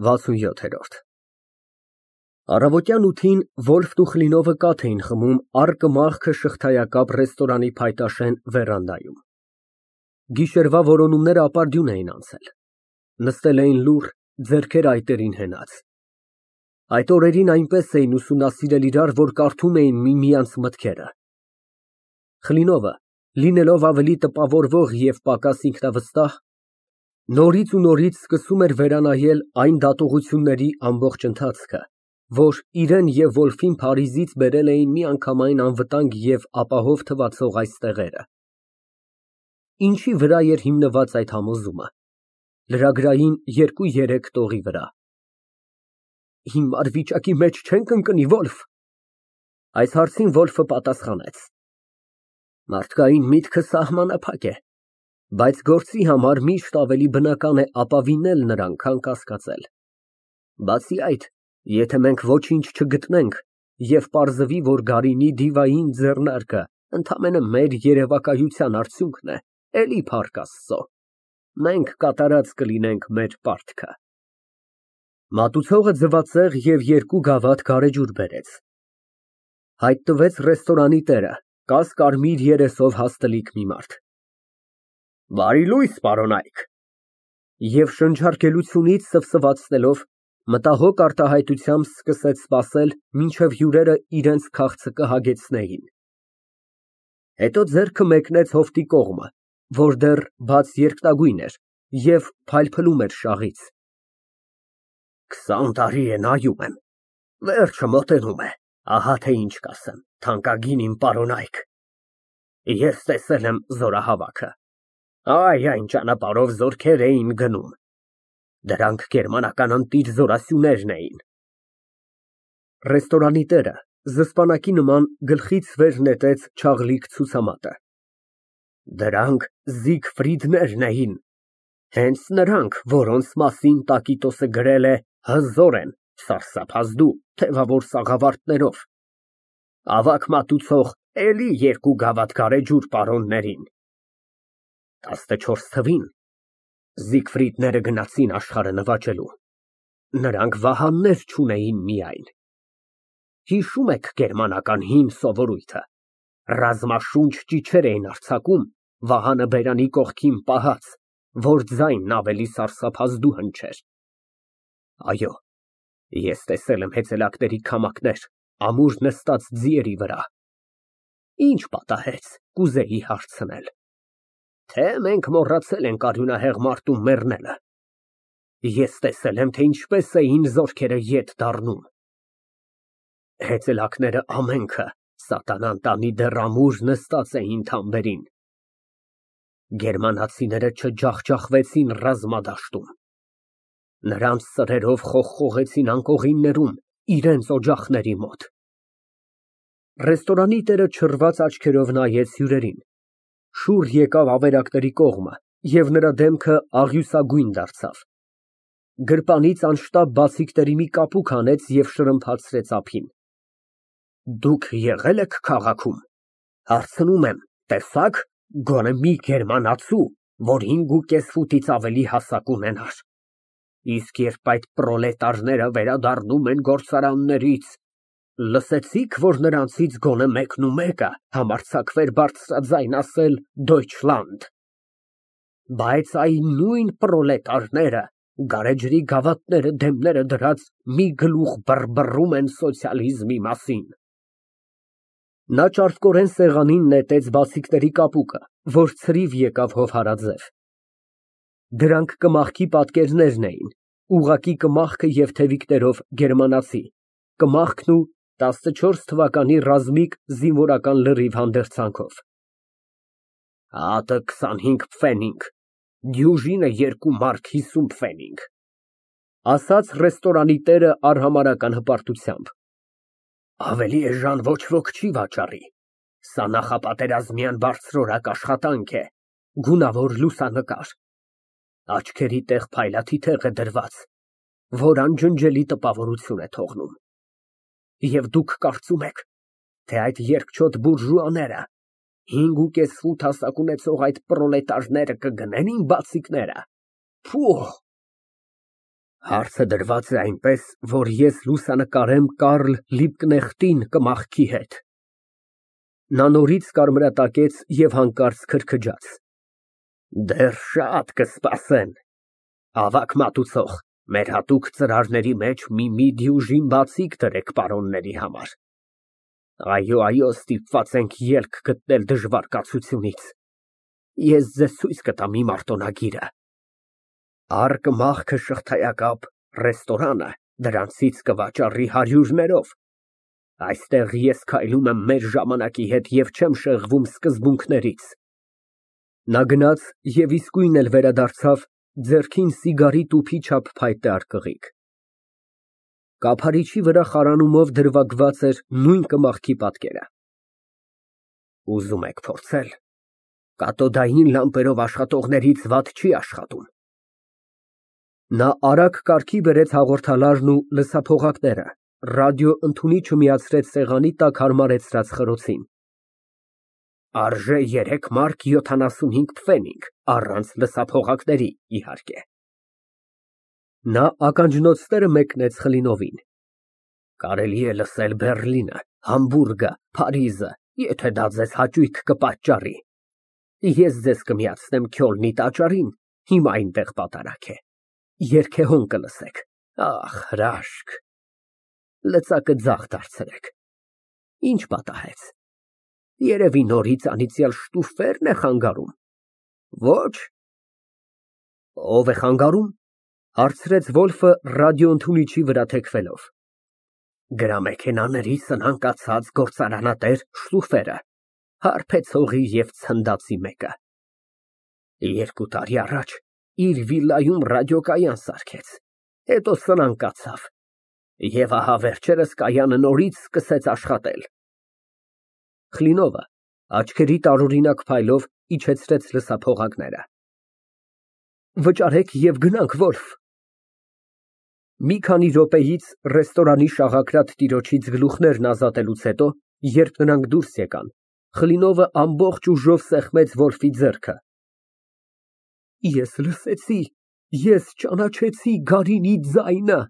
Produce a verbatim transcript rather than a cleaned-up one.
վաթսունյոթ։ Առավոտյան ութին Վոլֆն ու Կլինովը կաթ էին խմում առկմախքը շղթայակապ ռեստորանի փայտաշեն վերանդայում։ Գիշերվա որոնումները ապարդյուն էին անցել, նստել էին լուռ, ձեռքերը այտերին հենած։ Այդ օրերին այնպես էին ուսումնասիրել իրար, որ կարդում էին միմյանց մտքերը։ Կլինովը, լինելով ավելի տպավորվող և պակաս ինքնավստահ, նորից ու նորից սկսում էր վերանայել այն դատողությունների ամբողջ ընթացքը, որ իրան և Վոլֆին Փարիզից բերել էին միանգամայն անվտանգ և ապահով թվացող այս տեղերը։ Ինչի վրա էր հիմնված այդ համոզումը։ Լրագրային երկու֊երեք տողի վրա։ Հիմար վիճակի մեջ չե՞նք ընկնի, Վոլֆ։ Այս հարցին Վոլֆը պատասխանեց. Մարդկային միտքը սահմանափակ է, բայց գործի համար միշտ ավելի բնական է ապավինել նրան, քան կասկածել։ Բացի այդ, եթե մենք ոչինչ չգտնենք և պարզվի, որ Գարինի դիվային ձեռնարկը ընդամենը մեր երևակայության արդյունքն է, էլի փառք Աստծո, մենք կատարած կլինենք մեր պարտքը։ Մատուցողը ձվածեղ և երկու գավաթ գարեջուր բերեց։ Հայտնվեց ռեստորանի տերը, կաս֊կարմիր երեսով հաստլիկ մի մարդ։ Բարի լույս, պարոնայք։ Եվ շնչառկելությունից սվսվացնելով, մտահոգ արտահայտությամբ սկսեց սպասել, մինչև հյուրերը իրենց քաղցը կհագեցնեին։ Հետո ձեռքը մեկնեց հովտի կողմը, որ դեռ բաց երկնագույն էր և փայլփլում էր շաղից։ Քսան տարի է նայում եմ, վերջը մոտենում է, ահա թե ինչ կասեմ, թանկագին իմ պարոնայք։ Ես տեսել եմ զորահավաքը, այ այն ճանապարհով զորքեր էին գնում, դրանք գերմանական ընտիր զորասյուներն էին։ Ռեստորանի տերը զսպանակի նման գլխից վեր նետեց չաղլիկ ցուցամատը։ Դրանք Զիգֆրիդներն էին, հենց նրանք, որոնց մասին Տակիտոսը գրել է հզոր են, սարսափազդու, թևավոր սաղավարտներով։ Ավագ մատուցող էլի երկու գավաթ գարեջուր պարոններին։ Տասնչորս թվին Զիգֆրիդները գնացին աշխարհը նվաճելու, նրանք վահաններ չունեին միայն։ Հիշո՞ւմ եք գերմանական հին սովորույթը, ռազմաշունչ ճիչեր էին արձակում, վահանը բերանի կողքին պահած, որ ձայնն ավելի սարսափազդու հնչեր։ Այո, ես տեսել եմ հեծելակների քամակներ, ամուր նստած ձիերի վրա։ Ինչ պատահեց, կուզեի հարցնել։ Թե մենք մոռացել ենք արյունահեղ մարդու մեռնելը։ Ես տեսել եմ, թե ինչպես էին զորքերը ետ դառնում։ Հեծելակները ամենքը սատանան տանի դեռ ամուր նստած էին թամբերին։ Գերմանացիները չջախջախվեցին ռազմադաշտում։ Նրանց սրերով խողխողեցին անկողիններում, իրենց օջախների մոտ։ Ռեստորանի տերը չռված աչքերով նայեց հյուրերին, շուռ եկավ ավերակների կողմը, և նրա դեմքը աղյուսագույն դարձավ։ Գրպանից անշտապ բացիկների մի կապուկ հանեց և շրմփացրեց ափին։ Դուք եղե՞լ եք քաղաքում, հարցնում եմ, տեսա՞ք գոնե մի գերմանացու, որ հինգուկես ֆուտից ավելի հասակ ունենար։ Իսկ երբ այդ պրոլետարները վերադառնում են գործարաններից, լսեցի՞ք, որ նրանցից գոնե մեկնումեկը համարձակվեր բարձրաձայն ասել «Դոյչլանդ»։ Բայց այն նույն պրոլետարները գարեջրի գավաթները դեմները դրած մի գլուխ բռբռում են սոցիալիզմի մասին։ Նա ճարպկորեն սեղանին նետեց բացիկների կապուկը, որ ցրիվ եկավ հովհարաձև։ Դրանք կմախքի պատկերներն էին, ուղղակի կմախքը և թևիկներով գերմանացի, կմախքն ու տասնչորս թվականի ռազմիկ զինվորական լրիվ հանդերձանքով։ Հատը քսանհինգ պֆենինգ, դյուժինը երկու մարկ հիսուն պֆենինգ, ասաց ռեստորանի տերը արհամարհական հպարտությամբ։ Ավելի էժան ոչ ոք չի վաճառի, սա նախապատերազմյան բարձրորակ աշխատանք է, գունավոր լուսանկար, աչքերի տեղ փայլաթիթեղ է դրված, որ անջնջելի տպավորություն է թողնում։ Եվ դուք կարծում եք, թե այդ երկչոտ բուրժուաները, հինգուկես ֆուտ հասակ ունեցող այդ պրոլետարները կգնեն իմ բացիկները։ Փուհ։ Հարցը դրված է այնպես, որ ես լուսանկարեմ Կարլ Լիբկնեխտին կմախքի հետ։ Նա նորից կարմրատակեց և հանկարծ քրքջաց։ Դեռ շատ կսպասեն։ Ավագ մատուցող, մեր հատուկ ծրարների մեջ մի դյուժին բացիկ դրեք պարոնների համար։ Այո, այո, ստիպված ենք ելք գտնել դժվար կացությունից։ Ես ձեզ ցույց կտամ իմ արտոնագիրը։ Առկը, մախքը, շղթայակապ, ռեստորանը դրանցից կվաճառի հարյուրներով։ Այստեղ ես քայլում եմ մեր ժամանակի հետ և չեմ շեղվում սկզբունքներից։ Նա գնաց և իսկույն էլ վերադարձավ, ձեռքին սիգարի տուփի չափ փայտե արկղիկ։ Կափարիչի վրա խարանումով դրվագված էր նույն կմախքի պատկերը։ Ուզում եք փորձել։ Կաթոդային լամպերով աշխատողներից վատ չի աշխատում։ Նա արագ կարգի բերեց հաղորդալարն ու լսափողակները, ռադիոընդունիչը միացրեց սեղանի տակ հարմարեցրած խրոցին։ Արժե երեք մարկ յոթանասունհինգ փֆենինգ, առանց լսափողակների, իհարկե։ Նա ականջնոցները մեկնեց Խլինովին։ Կարելի է լսել Բեռլինը, Համբուրգը, Փարիզը, եթե դա ձեզ հաճույք կպատճառի։ Ես ձեզ կմիացնեմ Քյոլնի տաճարին, հիմա այնտեղ պատարագ է։ Երգեհոն կլսեք, ախ, հրաշք։ Լծակը ձախ դարձրեք։ Ինչ պատահեց։ Երևի նորից անիծյալ շտուֆերն է խանգարում։ Ոչ։ Ո՞վ է խանգարում, հարցրեց Վոլֆը ռադիոընդունիչի վրա թեքվելով։ Գրամեքենաների սնանկացած գործարանատեր շտուֆերը, հարբեցողի և ցնդածի մեկը։ Երկու տարի առաջ իր վիլայում ռադիոկայան սարքեց, հետո սնանկացավ, և ահա վերջերս կայանը նորից սկսեց աշխատել։ Խլինովը աչքերի տարօրինակ փայլով իջեցրեց լսափողակները։ Վճարեք և գնանք, Վոլֆ։ Մի քանի րոպեից ռեստորանի շաղակրատ տիրոջից գլուխներն ազատելուց հետո, երբ նրանք դուրս եկան, Խլինովը ամբողջ ուժով սեղմեց Վոլֆի ձեռքը։ Ես լսեցի, ես ճանաչեցի Գարինի ձայնը։